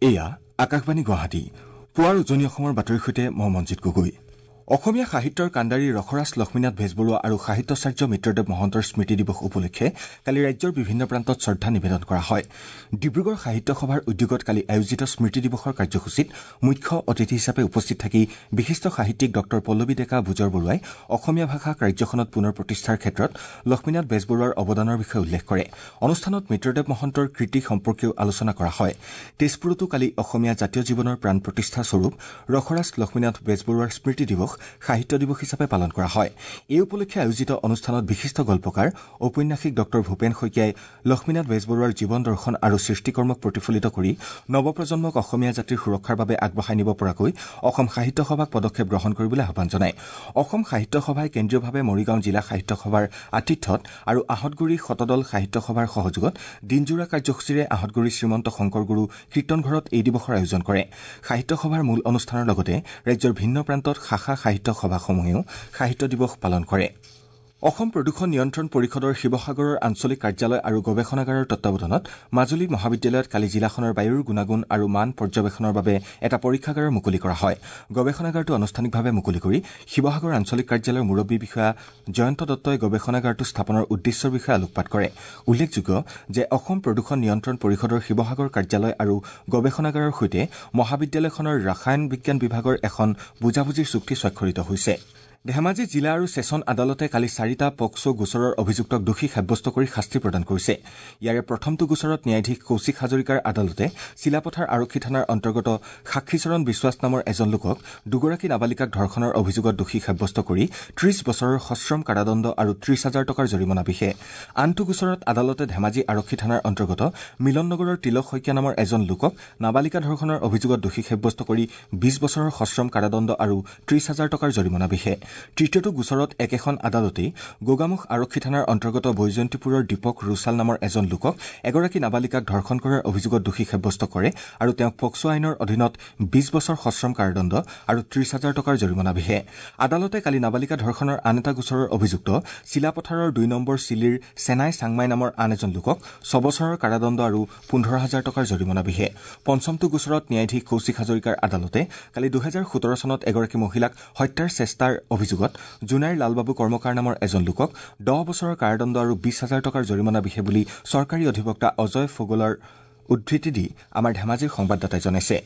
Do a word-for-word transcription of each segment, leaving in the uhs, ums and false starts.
এয়া আকাশবাণী গুৱাহাটী। পুৱাৰ উজনি অসমৰ বাতৰিৰ সৈতে মই মঞ্জিত গগৈ। অসমীয়া সাহিত্যৰ কাণ্ডাৰী ৰসৰাজ লক্ষ্মীনাথ বেজবৰুৱা আৰু সাহিত্যাচাৰ্য মিত্ৰদেৱ মহন্তৰ স্মৃতি দিৱস উপলক্ষে কালি ৰাজ্যৰ বিভিন্ন প্ৰান্তত শ্ৰদ্ধা নিবেদন কৰা হয়। ডিব্ৰুগড় সাহিত্য সভাৰ উদ্যোগত কালি আয়োজিত স্মৃতি দিৱসৰ কাৰ্যসূচীত মুখ্য অতিথি হিচাপে উপস্থিত থাকি বিশিষ্ট সাহিত্যিক ডঃ পল্লৱী ডেকা বুজৰবৰুৱাই অসমীয়া ভাষাক ৰাজ্যখনত পুনৰ প্ৰতিষ্ঠাৰ ক্ষেত্ৰত লক্ষ্মীনাথ বেজবৰুৱাৰ অৱদানৰ বিষয়ে উল্লেখ কৰে। অনুষ্ঠানত মিত্ৰদেৱ মহন্তৰ কৃতি সম্পৰ্কেও আলোচনা কৰা হয়। তেজপুৰতো কালি অসমীয়া জাতীয় জীৱনৰ প্ৰাণ প্ৰতিষ্ঠা স্বৰূপ ৰসৰাজ লক্ষ্মীনাথ বেজবৰুৱাৰ স্মৃতি দিৱস সাহিত্য দিৱস হিচাপে পালন কৰা হয়। এই উপলক্ষে আয়োজিত অনুষ্ঠানত বিশিষ্ট গল্পকাৰ ঔপন্যাসিক ডঃ ভূপেন শইকীয়াই লক্ষ্মীনাথ বেজবৰুৱাৰ জীৱন দৰ্শন আৰু সৃষ্টিকৰ্মক প্ৰতিফলিত কৰি নৱপ্ৰজন্মক অসমীয়া জাতিৰ সুৰক্ষাৰ বাবে আগবঢ়াই নিব পৰাকৈ অসম সাহিত্য সভাক পদক্ষেপ গ্ৰহণ কৰিবলৈ আহ্বান জনায়। অসম সাহিত্য সভাই কেন্দ্ৰীয়ভাৱে মৰিগাঁও জিলা সাহিত্য সভাৰ আতিথ্যত আৰু আহঁতগুৰি শতদল সাহিত্য সভাৰ সহযোগত দিনজোৰা কাৰ্যসূচীৰে আহঁতগুৰি শ্ৰীমন্ত শংকৰগুৰু কীৰ্তনঘৰত এই দিৱসৰ আয়োজন কৰে। সাহিত্য সভাৰ মূল অনুষ্ঠানৰ লগতে ৰাজ্যৰ ভিন্ন প্ৰান্তত শাখা সাহিত্য সভাসমূহেও সাহিত্য দিৱস পালন কৰে। অসম প্ৰদূষণ নিয়ন্ত্ৰণ পৰিষদৰ শিৱসাগৰৰ আঞ্চলিক কাৰ্যালয় আৰু গৱেষণাগাৰৰ তত্বাৱধানত মাজুলী মহাবিদ্যালয়ত কালি জিলাখনৰ বায়ুৰ গুণাগুণ আৰু মান পৰ্যবেক্ষণৰ বাবে এটা পৰীক্ষাগাৰৰ মুকলি কৰা হয়। গৱেষণাগাৰটো আনুষ্ঠানিকভাৱে মুকলি কৰি শিৱসাগৰ আঞ্চলিক কাৰ্যালয়ৰ মুৰব্বী বিষয়া জয়ন্ত দত্তই গৱেষণাগাৰটো স্থাপনৰ উদ্দেশ্যৰ বিষয়ে আলোকপাত কৰে। উল্লেখযোগ্য যে অসম প্ৰদূষণ নিয়ন্ত্ৰণ পৰিষদৰ শিৱসাগৰ কাৰ্যালয় আৰু গৱেষণাগাৰৰ সৈতে মহাবিদ্যালয়খনৰ ৰসায়ন বিজ্ঞান বিভাগৰ এখন বুজাবুজিৰ চুক্তি স্বাক্ষৰিত হৈছে। ধেমাজি জিলা আৰু ছেছন আদালতে কালি চাৰিটা পক্সো গোচৰৰ অভিযুক্তক দোষী সাব্যস্ত কৰি শাস্তি প্ৰদান কৰিছে। ইয়াৰে প্ৰথমটো গোচৰত ন্যায়াধীশ কৌশিক হাজৰিকাৰ আদালতে চিলাপথাৰ আৰক্ষী থানাৰ অন্তৰ্গত সাক্ষীচৰণ বিশ্বাস নামৰ এজন লোকক দুগৰাকী নাবালিকাক ধৰ্ষণৰ অভিযোগত দোষী সাব্যস্ত কৰি ত্ৰিশ বছৰৰ সশ্ৰম কাৰাদণ্ড আৰু ত্ৰিশ হাজাৰ টকাৰ জৰিমনা বিহে। আনটো গোচৰত আদালতে ধেমাজি আৰক্ষী থানাৰ অন্তৰ্গত মিলন নগৰৰ তিলক শইকীয়া নামৰ এজন লোকক নাবালিকা ধৰ্ষণৰ অভিযোগত দোষী সাব্যস্ত কৰি বিশ বছৰৰ সশ্ৰম কাৰাদণ্ড আৰু ত্ৰিশ হাজাৰ টকাৰ জৰিমনা বিহে। তৃতীয়টো গোচৰত একেখন আদালতেই গোগামুখ আৰক্ষী থানাৰ অন্তৰ্গত বৈজয়ন্তীপুৰৰ দীপক ৰুচাল নামৰ এজন লোকক এগৰাকী নাবালিকাক ধৰ্ষণ কৰাৰ অভিযোগত দোষী সাব্যস্ত কৰে আৰু তেওঁক পক্সো আইনৰ অধীনত বিশ বছৰ সশ্ৰম কাৰাদণ্ড আৰু ত্ৰিশ হাজাৰ টকাৰ জৰিমনা বিহে। আদালতে কালি নাবালিকা ধৰ্ষণৰ আন এটা গোচৰৰ অভিযুক্ত চিলাপথাৰৰ দুই নম্বৰ চিলিৰ চেনাই চাংমাই নামৰ আন এজন লোকক ছবছৰৰ কাৰাদণ্ড আৰু পোন্ধৰ হাজাৰ টকাৰ জৰিমনা বিহে। পঞ্চমটো গোচৰত ন্যায়াধীশ কৌশিক হাজৰিকাৰ আদালতে কালি দুহেজাৰ সোতৰ চনত এগৰাকী মহিলাক হত্যাৰ চেষ্টাৰ অভিযোগত জোনাইৰ লালবাবু কৰ্মকাৰ নামৰ এজন লোকক দহ বছৰৰ কাৰাদণ্ড আৰু বিশ হাজাৰ টকাৰ জৰিমনা বিহে বুলি চৰকাৰী অধিবক্তা অজয় ফোগলৰ উদ্ধৃতি দি আমাৰ ধেমাজিৰ সংবাদদাতাই জনাইছে।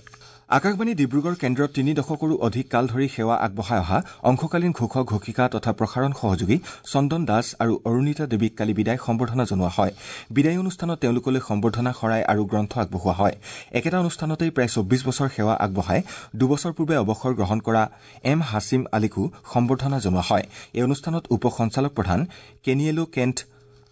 আকাশবাণী ডিব্ৰুগড় কেন্দ্ৰত তিনি দশকৰো অধিক কাল ধৰি সেৱা আগবঢ়াই অহা অংশকালীন ঘোষক ঘোষিকা তথা প্ৰসাৰণ সহযোগী চন্দন দাস আৰু অৰুণিতা দেৱীক কালি বিদায় সম্বৰ্ধনা জনোৱা হয়। বিদায়ী অনুষ্ঠানত তেওঁলোকলৈ সম্বৰ্ধনা শৰাই আৰু গ্ৰন্থ আগবঢ়োৱা হয়। একেটা অনুষ্ঠানতেই প্ৰায় চৌব্বিছ বছৰ সেৱা আগবঢ়াই দুবছৰ পূৰ্বে অৱসৰ গ্ৰহণ কৰা এম হাছিম আলীকো সম্বৰ্ধনা জনোৱা হয়। এই অনুষ্ঠানত উপ সঞ্চালক প্ৰধান কেনিয়েলো কেণ্ট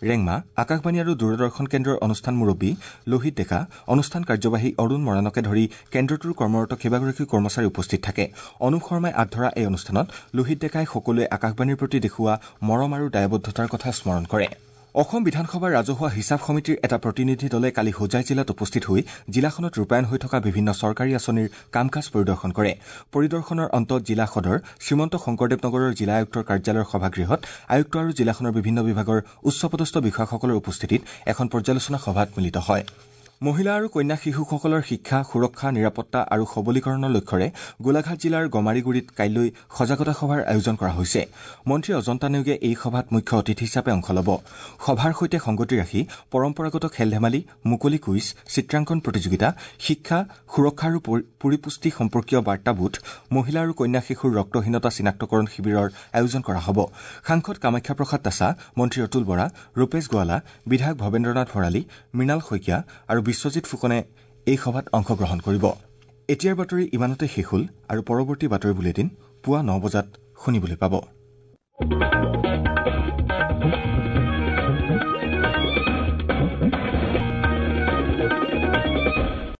ৰেংমা, আকাশবাণী আৰু দূৰদৰ্শন কেন্দ্ৰৰ অনুষ্ঠান মুৰব্বী লোহিত ডেকা, অনুষ্ঠান কাৰ্যবাহী অৰুণ মৰাণকে ধৰি কেন্দ্ৰটোৰ কৰ্মৰত কেইবাগৰাকী কৰ্মচাৰী উপস্থিত থাকে। অনুপ শৰ্মাই আঁত ধৰা এই অনুষ্ঠানত লোহিত ডেকাই সকলোৱে আকাশবাণীৰ প্ৰতি দেখুওৱা মৰম আৰু দায়বদ্ধতাৰ কথা স্মৰণ কৰে। অসম বিধানসভাৰ ৰাজহুৱা হিচাপ সমিতিৰ এটা প্ৰতিনিধি দলে কালি হোজাই জিলাত উপস্থিত হৈ জিলাখনত ৰূপায়ণ হৈ থকা বিভিন্ন চৰকাৰী আঁচনিৰ কাম কাজ পৰিদৰ্শন কৰে। পৰিদৰ্শনৰ অন্তত জিলা সদৰ শ্ৰীমন্ত শংকৰদেৱ নগৰৰ জিলা আয়ুক্তৰ কাৰ্যালয়ৰ সভাগৃহত আয়ুক্ত আৰু জিলাখনৰ বিভিন্ন বিভাগৰ উচ্চপদস্থ বিষয়াসকলৰ উপস্থিতিত এখন পৰ্যালোচনা সভাত মিলিত হয়। মহিলা আৰু কন্যা শিশুসকলৰ শিক্ষা, সুৰক্ষা, নিৰাপত্তা আৰু সবলীকৰণৰ লক্ষ্যৰে গোলাঘাট জিলাৰ গমাৰিগুৰিত কাইলৈ সজাগতা সভাৰ আয়োজন কৰা হৈছে। মন্ত্ৰী অজন্তা নেওগে এই সভাত মুখ্য অতিথি হিচাপে অংশ ল'ব। সভাৰ সৈতে সংগতি ৰাখি পৰম্পৰাগত খেল ধেমালি, মুকলি কুইজ, চিত্ৰাংকন প্ৰতিযোগিতা, শিক্ষা, সুৰক্ষা আৰু পৰিপুষ্টি সম্পৰ্কীয় বাৰ্তা বুথ, মহিলা আৰু কন্যা শিশুৰ ৰক্তহীনতা চিনাক্তকৰণ শিবিৰৰ আয়োজন কৰা হ'ব। সাংসদ কামাখ্যা প্ৰসাদ তাছা, মন্ত্ৰী অতুল বৰা, ৰূপেশ গোৱালা, বিধায়ক ভৱেন্দ্ৰনাথ ভৰালী, মৃণাল শইকীয়া আৰু বিশ্বজিৎ ফুকনে এই সভাত অংশগ্ৰহণ কৰিব। এতিয়াৰ বাতৰি ইমানতে শেষ হ'ল আৰু পৰৱৰ্তী বাতৰি বুলেটিন পুৱা ন বজাত শুনিবলৈ পাব।